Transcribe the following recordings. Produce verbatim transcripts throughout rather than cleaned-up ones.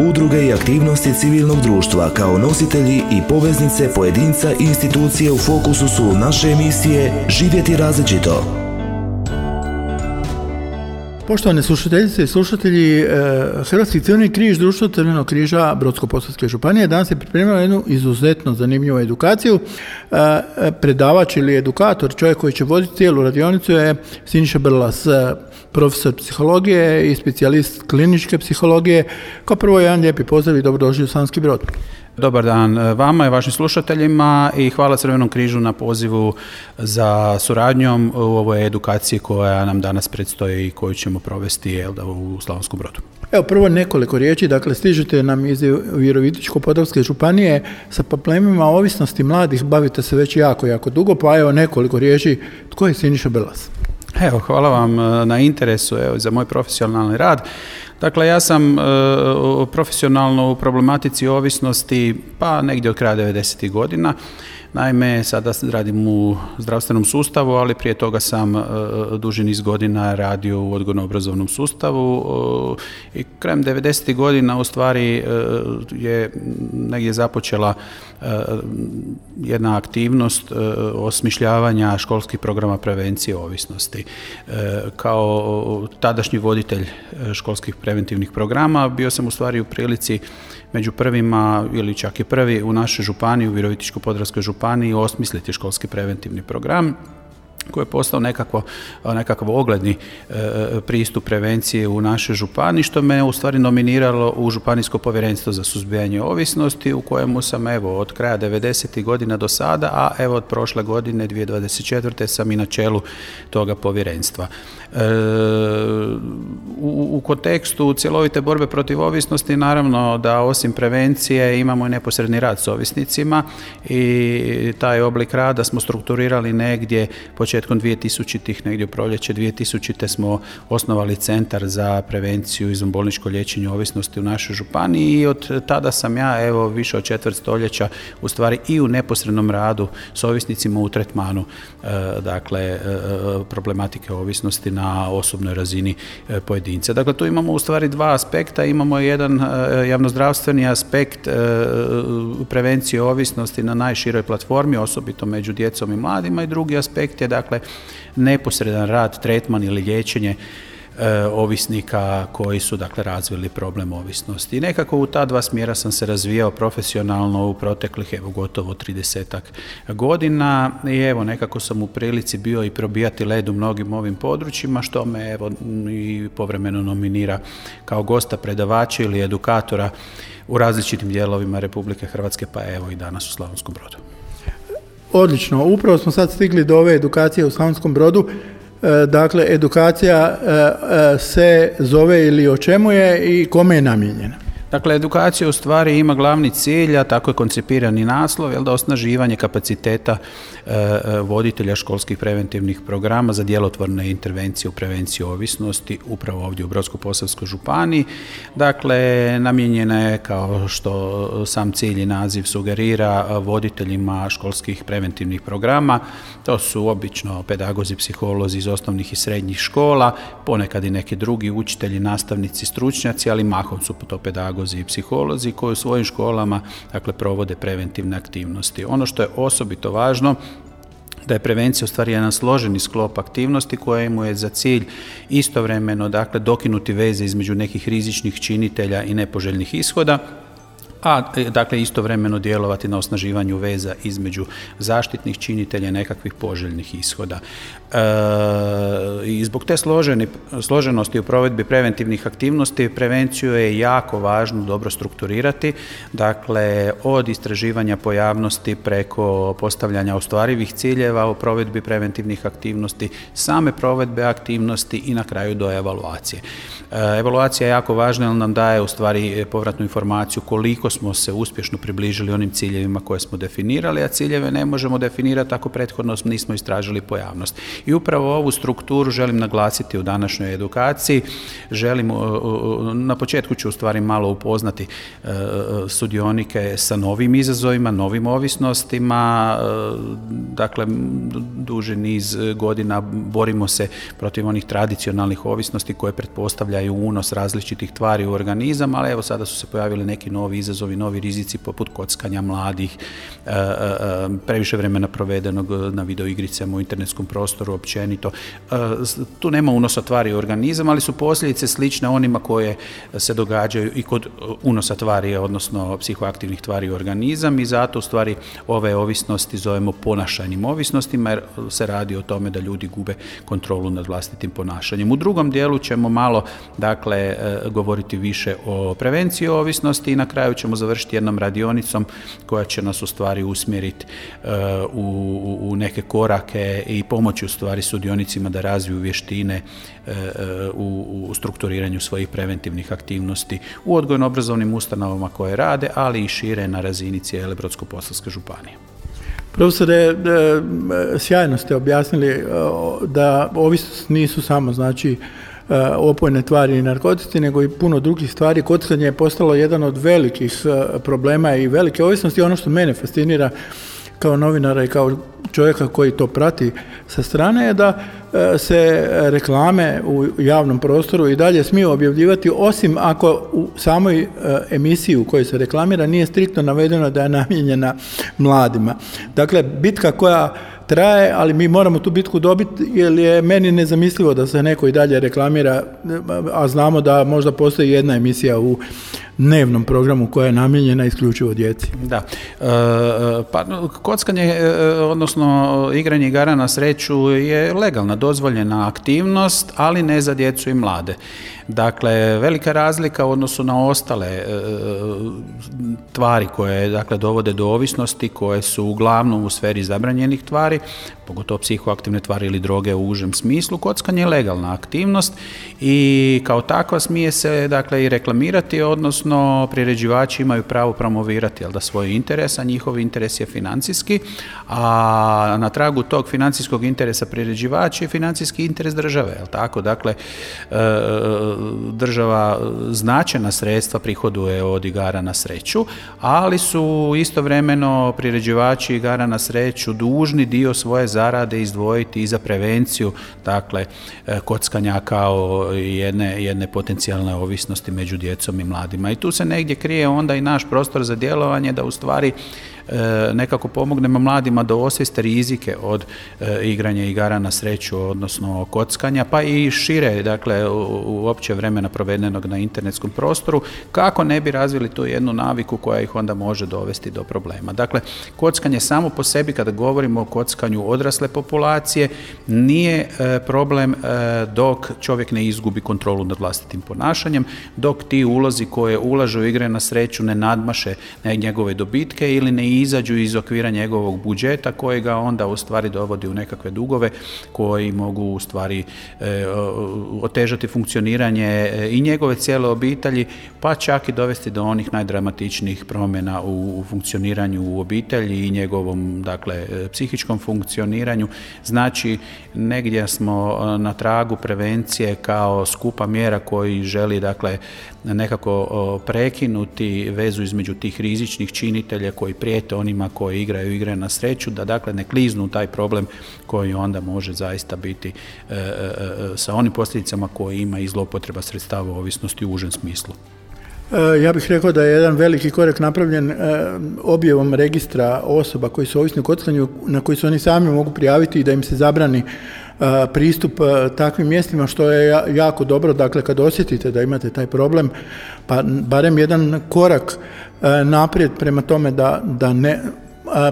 udruge i aktivnosti civilnog društva kao nositelji i poveznice pojedinca i institucije u fokusu su naše emisije Živjeti različito. Poštovane slušateljice i slušatelji, Hrvatski crveni križ, Društvo Crvenog križa Brodsko-posavske županije danas je pripremio jednu izuzetno zanimljivu edukaciju. Predavač ili edukator, čovjek koji će voditi cijelu radionicu je Siniša Brlas, profesor psihologije i specijalist kliničke psihologije. Kao prvo, jedan lijepi pozdrav i dobrodošli u Slavonski Brod. Dobar dan vama i vašim slušateljima i hvala Crvenom križu na pozivu za suradnjom u ovoj edukaciji koja nam danas predstoji i koju ćemo provesti jel da, u Slavonskom Brodu. Evo prvo nekoliko riječi, dakle stižete nam iz Virovitičko-podravske županije sa problemima ovisnosti mladih, bavite se već jako, jako dugo, pa evo nekoliko riječi, tko je Siniša Brlas? Evo, hvala vam na interesu evo, za moj profesionalni rad. Dakle, ja sam e, profesionalno u problematici ovisnosti pa negdje od kraja devedesetih godina. Naime, sada radim u zdravstvenom sustavu, ali prije toga sam e, duži niz godina radio u odgojno-obrazovnom sustavu e, i krajem devedesetih godina u stvari e, je negdje započela e, jedna aktivnost e, osmišljavanja školskih programa prevencije ovisnosti. E, kao tadašnji voditelj školskih preventivnih programa bio sam u stvari u prilici među prvima ili čak i prvi u našoj županiji, u Virovitičko-podravskoj županiji, osmisliti školski preventivni program koji je postao nekako, nekakav ogledni e, pristup prevencije u našoj županiji, što me u stvari nominiralo u Županijsko povjerenstvo za suzbijanje ovisnosti, u kojemu sam evo od kraja devedesetih godina do sada, a evo od prošle godine dvije tisuće dvadeset četvrte sam i na čelu toga povjerenstva. E, u, u kontekstu cjelovite borbe protiv ovisnosti naravno da osim prevencije imamo i neposredni rad s ovisnicima i taj oblik rada smo strukturirali negdje početkom dvije tisućitih, negdje u proljeće dvije tisućite smo osnovali Centar za prevenciju i izvanbolničko liječenje ovisnosti u našoj županiji i od tada sam ja evo više od četvrt stoljeća u stvari i u neposrednom radu s ovisnicima u tretmanu e, dakle e, problematike ovisnosti na osobnoj razini e, pojedinca. Dakle, tu imamo u stvari dva aspekta. Imamo jedan e, javnozdravstveni aspekt e, prevencije ovisnosti na najširoj platformi, osobito među djecom i mladima, i drugi aspekt je dakle neposredan rad, tretman ili liječenje e, ovisnika koji su dakle razvili problem ovisnosti. I nekako u ta dva smjera sam se razvijao profesionalno u proteklih evo gotovo tridesetak godina i evo nekako sam u prilici bio i probijati led u mnogim ovim područjima, što me evo i povremeno nominira kao gosta predavača ili edukatora u različitim dijelovima Republike Hrvatske, pa evo i danas u Slavonskom Brodu. Odlično, upravo smo sad stigli do ove edukacije u Slavonskom Brodu. E, dakle, edukacija e, e, se zove ili o čemu je i kome je namijenjena? Dakle, edukacija u stvari ima glavni cilj, a tako je koncipirani naslov, jel da osnaživanje kapaciteta e, voditelja školskih preventivnih programa za djelotvorne intervencije u prevenciji ovisnosti upravo ovdje u Brodsko-posavskoj županiji. Dakle, namijenjena je, kao što sam cilj i naziv sugerira, voditeljima školskih preventivnih programa. To su obično pedagozi, psiholozi iz osnovnih i srednjih škola, ponekad i neki drugi učitelji, nastavnici, stručnjaci, ali mahom su to pedagozi i psiholozi koji u svojim školama dakle, provode preventivne aktivnosti. Ono što je osobito važno da je prevencija u stvari jedan složeni sklop aktivnosti kojemu je za cilj istovremeno dakle, dokinuti veze između nekih rizičnih činitelja i nepoželjnih ishoda, a dakle istovremeno djelovati na osnaživanju veza između zaštitnih činitelja i nekakvih poželjnih ishoda. E, I zbog te složeni, složenosti u provedbi preventivnih aktivnosti prevenciju je jako važno dobro strukturirati, dakle od istraživanja pojavnosti preko postavljanja ostvarivih ciljeva u provedbi preventivnih aktivnosti, same provedbe aktivnosti i na kraju do evaluacije. E, evaluacija je jako važna jer nam daje u stvari povratnu informaciju koliko koliko smo se uspješno približili onim ciljevima koje smo definirali, a ciljeve ne možemo definirati ako prethodno nismo istražili pojavnost. I upravo ovu strukturu želim naglasiti u današnjoj edukaciji. Želim, na početku ću u stvari malo upoznati sudionike sa novim izazovima, novim ovisnostima. Dakle, duži niz godina borimo se protiv onih tradicionalnih ovisnosti koje pretpostavljaju unos različitih tvari u organizam, ali evo sada su se pojavili neki novi izazovi, novi rizici poput kockanja mladih, previše vremena provedenog na videoigricama u internetskom prostoru općenito. Tu nema unosa tvari u organizam, ali su posljedice slične onima koje se događaju i kod unosa tvari, odnosno psihoaktivnih tvari u organizam, i zato u stvari ove ovisnosti zovemo ponašajnim ovisnostima, jer se radi o tome da ljudi gube kontrolu nad vlastitim ponašanjem. U drugom dijelu ćemo malo, dakle, govoriti više o prevenciji ovisnosti i na kraju ćemo završiti jednom radionicom koja će nas u stvari usmjeriti u, u neke korake i pomoći u stvari sudionicima da razviju vještine u, u strukturiranju svojih preventivnih aktivnosti u odgojno-obrazovnim ustanovama koje rade, ali i šire na razini cijele Brodsko-posavske županije. Profesore, sjajno ste objasnili da ovisnost nisu samo, znači, opojne tvari i narkotici, nego i puno drugih stvari. Kockanje je postalo jedan od velikih problema i velike ovisnosti. Ono što mene fascinira kao novinara i kao čovjeka koji to prati sa strane je da se reklame u javnom prostoru i dalje smiju objavljivati, osim ako u samoj emisiji u kojoj se reklamira nije striktno navedeno da je namijenjena mladima. Dakle, bitka koja traje, ali mi moramo tu bitku dobiti, jer je meni nezamislivo da se neko i dalje reklamira, a znamo da možda postoji jedna emisija u dnevnom programu koja je namijenjena isključivo djeci. Da. E, pa, kockanje, odnosno igranje igara na sreću je legalna, dozvoljena aktivnost, ali ne za djecu i mlade. Dakle, velika razlika u odnosu na ostale e, tvari koje, dakle, dovode do ovisnosti, koje su uglavnom u sferi zabranjenih tvari, pogotovo psihoaktivne tvari ili droge u užem smislu. Kockanje je legalna aktivnost i kao takva smije se, dakle, i reklamirati, odnosno priređivači imaju pravo promovirati, jel da, svoj interes, a njihov interes je financijski, a na tragu tog financijskog interesa priređivači je financijski interes države, jel tako? Dakle, država značajna sredstva prihoduje od igara na sreću, ali su istovremeno priređivači igara na sreću dužni dio svoje zarade izdvojiti i za prevenciju, dakle, kockanja kao jedne, jedne potencijalne ovisnosti među djecom i mladima. I tu se negdje krije onda i naš prostor za djelovanje, da u stvari nekako pomognemo mladima da osvijeste rizike od e, igranja igara na sreću, odnosno kockanja, pa i šire, dakle, u, u opće vremena provedenog na internetskom prostoru, kako ne bi razvili tu jednu naviku koja ih onda može dovesti do problema. Dakle, kockanje samo po sebi, kada govorimo o kockanju odrasle populacije, nije e, problem e, dok čovjek ne izgubi kontrolu nad vlastitim ponašanjem, dok ti ulozi koje ulažu u igre na sreću ne nadmaše njegove dobitke ili ne izađu iz okvira njegovog budžeta koji ga onda u stvari dovodi u nekakve dugove koji mogu u stvari e, otežati funkcioniranje e, i njegove cijele obitelji, pa čak i dovesti do onih najdramatičnijih promjena u, u funkcioniranju u obitelji i njegovom, dakle, psihičkom funkcioniranju. Znači, negdje smo na tragu prevencije kao skupa mjera koji želi, dakle, nekako prekinuti vezu između tih rizičnih činitelja koji prijete onima koji igraju igre na sreću, da, dakle, ne kliznu u taj problem koji onda može zaista biti e, e, sa onim posljedicama koje ima i zloupotreba sredstava ovisnosti u užem smislu. Ja bih rekao da je jedan veliki korak napravljen objavom registra osoba koji su ovisni o kockanju, na koji se oni sami mogu prijaviti i da im se zabrani pristup takvim mjestima, što je jako dobro. Dakle, kad osjetite da imate taj problem, pa barem jedan korak naprijed prema tome da, da ne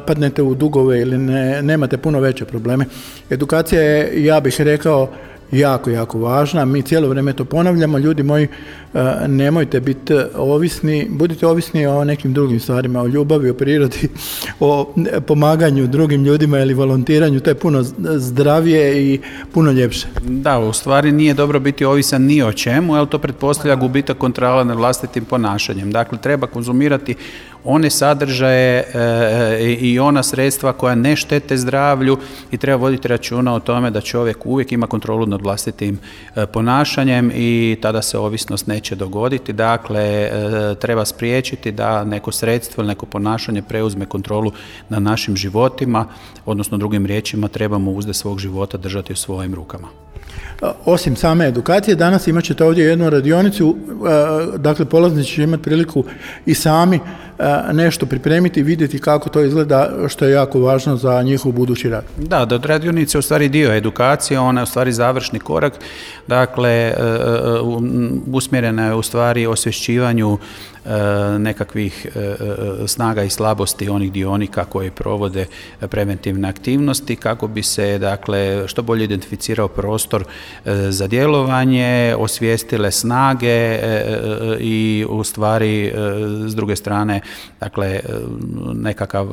padnete u dugove ili ne, nemate puno veće probleme. Edukacija je, ja bih rekao, jako, jako važna. Mi cijelo vrijeme to ponavljamo. Ljudi moji, nemojte biti ovisni, budite ovisni o nekim drugim stvarima, o ljubavi, o prirodi, o pomaganju drugim ljudima ili volontiranju. To je puno zdravije i puno ljepše. Da, u stvari nije dobro biti ovisan ni o čemu, jer to pretpostavlja gubitak kontrole nad vlastitim ponašanjem. Dakle, treba konzumirati one sadržaje e, i ona sredstva koja ne štete zdravlju i treba voditi računa o tome da čovjek uvijek ima kontrolu nad vlastitim e, ponašanjem i tada se ovisnost neće dogoditi. Dakle, e, treba spriječiti da neko sredstvo ili neko ponašanje preuzme kontrolu nad našim životima, odnosno drugim riječima trebamo uzde svog života držati u svojim rukama. Osim same edukacije, danas imat ćete ovdje jednu radionicu, dakle polaznici će imati priliku i sami nešto pripremiti i vidjeti kako to izgleda, što je jako važno za njihov budući rad. Da, da radionice je u stvari dio edukacije, ona je u stvari završni korak, dakle usmjerena je u stvari osvješćivanju nekakvih snaga i slabosti onih dionika koji provode preventivne aktivnosti kako bi se dakle što bolje identificirao prostor za djelovanje, osvijestile snage i u stvari s druge strane dakle nekakav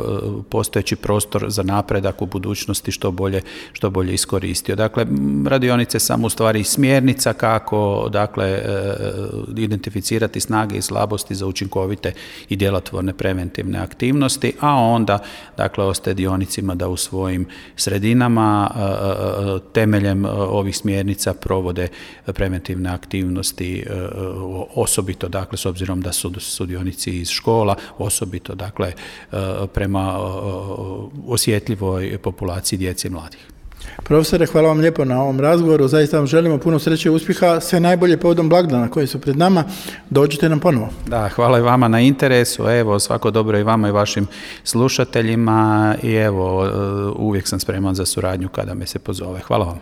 postojeći prostor za napredak u budućnosti što bolje, što bolje iskoristio. Dakle, radionice samo u stvari smjernica kako dakle identificirati snage i slabosti za učinkovite i djelotvorne preventivne aktivnosti, a onda dakle ostaje dionicima da u svojim sredinama temeljem ovih smjernica provode preventivne aktivnosti, osobito dakle s obzirom da su sudionici iz škola, osobito dakle prema osjetljivoj populaciji djece i mladih. Profesore, hvala vam lijepo na ovom razgovoru, zaista vam želimo puno sreće i uspjeha, sve najbolje povodom blagdana koji su pred nama, dođite nam ponovo. Da, hvala i vama na interesu, evo svako dobro i vama i vašim slušateljima i evo uvijek sam spreman za suradnju kada me se pozove. Hvala vam.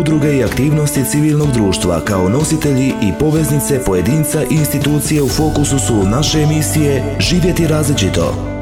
Udruge i aktivnosti civilnog društva kao nositelji i poveznice pojedinca i institucije u fokusu su naše emisije Živjeti različito.